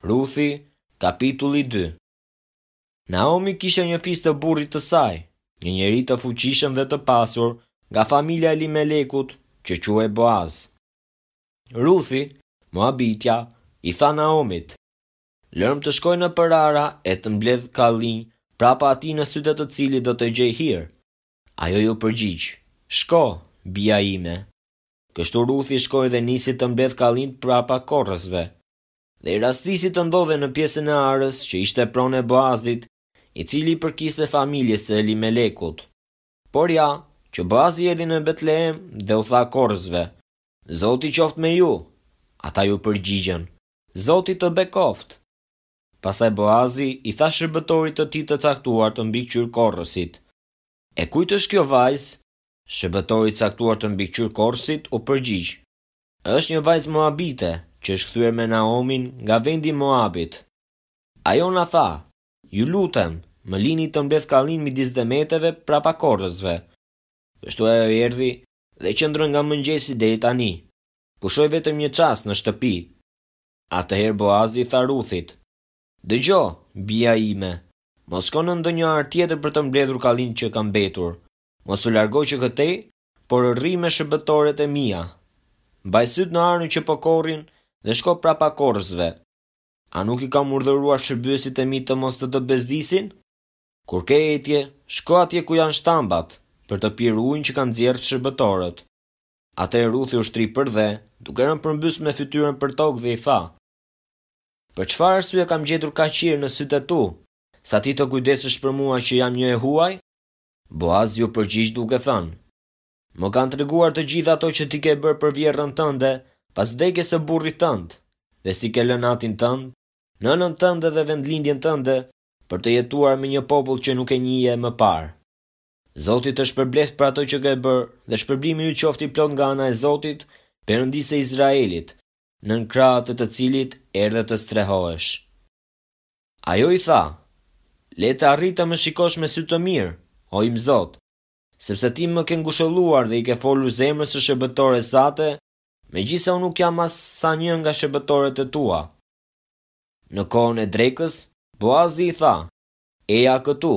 Ruthi, kapitulli 2 Naomi kishte një fis të burrit të saj, një njeri të fuqishëm dhe të pasur nga familja e Elimelekut, që quhej Boaz. Ruthi, Moabitja, i tha Naomit: Lërmë të shkoj nëpër ara e të mbledh kallinj prapa atij në sytë e të cilit do të gjej hir. Ajo iu përgjigj: Shko, bija ime. Kështu Ruthi shkoi dhe nisi të mbledhë kallinj prapa korrësve. Dhe i rastisi të ndodhej në pjesën e arës që ishte pronë e Boazit, i cili i përkiste familjes së Elimelekut. Por ja, që Boazi erdhi në Betlehem dhe u tha korrësve, Zoti qoftë me ju! Ata iu përgjigjën, Zoti të bekoftë! Pastaj Boazi i tha shërbëtorit të tij të caktuar të mbikëqyrë korrësit, E kujt është kjo vajzë? Shërbëtori i caktuar të mbikëqyrë korrësit u përgjigj, Është një vajzë moabite, që është kthyer me Naomin nga vendi i Moabit. Ajo na tha, Ju lutem, më lini të mbledh kallinj midis demeteve prapa korrësve. Kështu ajo erdhi dhe qëndroi nga mëngjesi deri tani. Pushoi vetëm një çast në shtëpi. Atëherë Boazi i tha Ruthit, Dëgjo, bija ime, mos shko në ndonjë arë tjetër për të mbledhur kallinjtë që kanë mbetur. Mos u largo që këtej, por rri me shërbëtoret e mia. Mbaj sytë në arën që po korrin dhe shko prapa korrësve. A nuk i kam urdhëruar shërbyesit e mi të mos të të bezdisin? Kur ke etje, shko atje ku janë shtambat, për të pirë ujin që kanë nxjerrë shërbëtorët. Atëherë Ruthi u shtri përdhe, duke rënë përmbys me fytyrën përtokë dhe i tha, Për çfarë arsye kam gjetur kaq hir në sytë e tu, sa ti të kujdesesh për mua që jam një e huaj? Boazi iu përgjigj duke thënë, Më kanë treguar të gjitha ato që ti ke bërë për vjehrrën tënde pas vdekjes së burrit tënd, dhe si ke lënë atin tënd, nënën tënde dhe vendlindjen tënde për të jetuar me një popull që nuk e njihje më parë. Zoti të shpërbleftë për ato që ke bërë dhe shpërblimi yt qoftë i plotë nga ana e Zotit, Perëndisë së Izraelit, nën krahët e të cilit erdhe të strehohesh. Ajo i tha, Le të arrij të më shikosh me sy të mirë, o im zot, sepse ti më ke ngushëlluar dhe i ke folur zemrës së shërbëtores sate, megjithëse unë nuk jam as sa një nga shërbëtoret e tua. Në kohën e drekës, Boazi i tha, Eja këtu,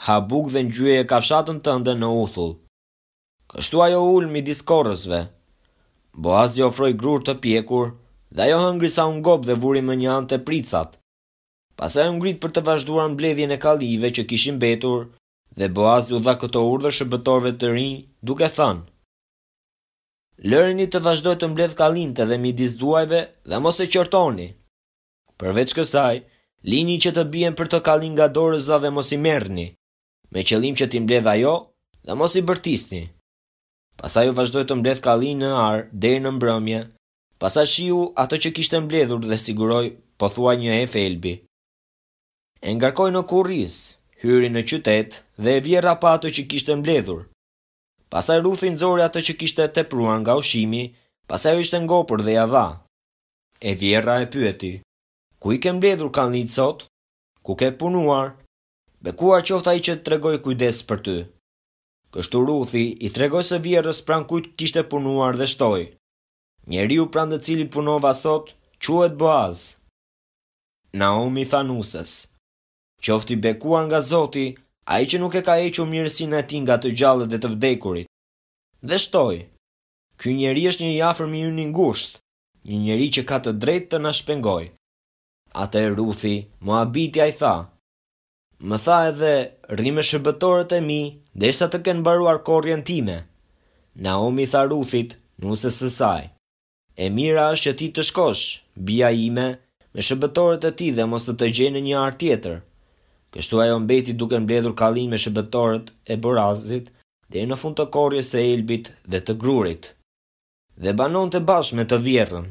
ha bukë dhe ngjyeje kafshatën tënde në uthull. Kështu ajo u ul midis korrësve. Boazi ofroi grurë të pjekur dhe ajo hëngri sa u ngop dhe vuri mënjanë tepricat. Pastaj u ngrit për të vazhduar mbledhjen e kallinjve që kishin mbetur dhe Boazi u dha këtë urdhër shërbëtorëve të rinj, duke thënë, Lëreni të vazhdojë të mbledhë kallinjtë edhe midis duajve dhe mos e qortoni. Përveç kësaj, lini që të bien portokallinj nga dorëza dhe mos i merrni, me qëllim që t'i mbledhë ajo dhe mos i bërtisni. Pastaj ajo vazhdoi të mbledhë kallinj në arë deri në mbrëmje, pastaj shiu atë që kishte mbledhur dhe siguroi pothuaj një efë elbi. E ngarkoi në kurriz, hyri në qytet dhe e vjerra pa atë që kishte mbledhur. Pastaj Ruthi nxori atë që kishte tepruar nga ushqimi, pasi ajo ishte ngopur dhe ia dha. E vjerra e pyeti, Ku i ke mbledhur kallinjtë sot? Ku ke punuar? Bekuar qoftë ai që tregoi kujdes për ty. Kështu Ruthi i tregoi së vjerrës pranë kujt kishte punuar dhe shtoi, Njeriu pranë të cilit punova sot, quhet Boaz. Naomi i tha nuses, Qoftë i bekuar nga Zoti, ai që nuk e ka hequr mirësinë e tij nga të gjallët dhe të vdekurit. Dhe shtoi, Ky njeri është një i afërm i yni i ngushtë, një njeri që ka të drejtë të na shpengojë. Atëherë Ruthi, Moabitja i tha, Më tha edhe, rri me shërbëtorët e mi, derisa të kenë mbaruar korrjen time. Naomi i tha Ruthit, nuses së saj, E mira është që ti të shkosh, bija ime, me shërbëtorët e tij dhe mos të të gjej në një arë tjetër. Kështu ajo mbeti duke mbledhur kallinj me shërbëtorët e Boazit deri në fund të korrjes së elbit dhe të grurit. Dhe banonte bashkë me të vjerrën.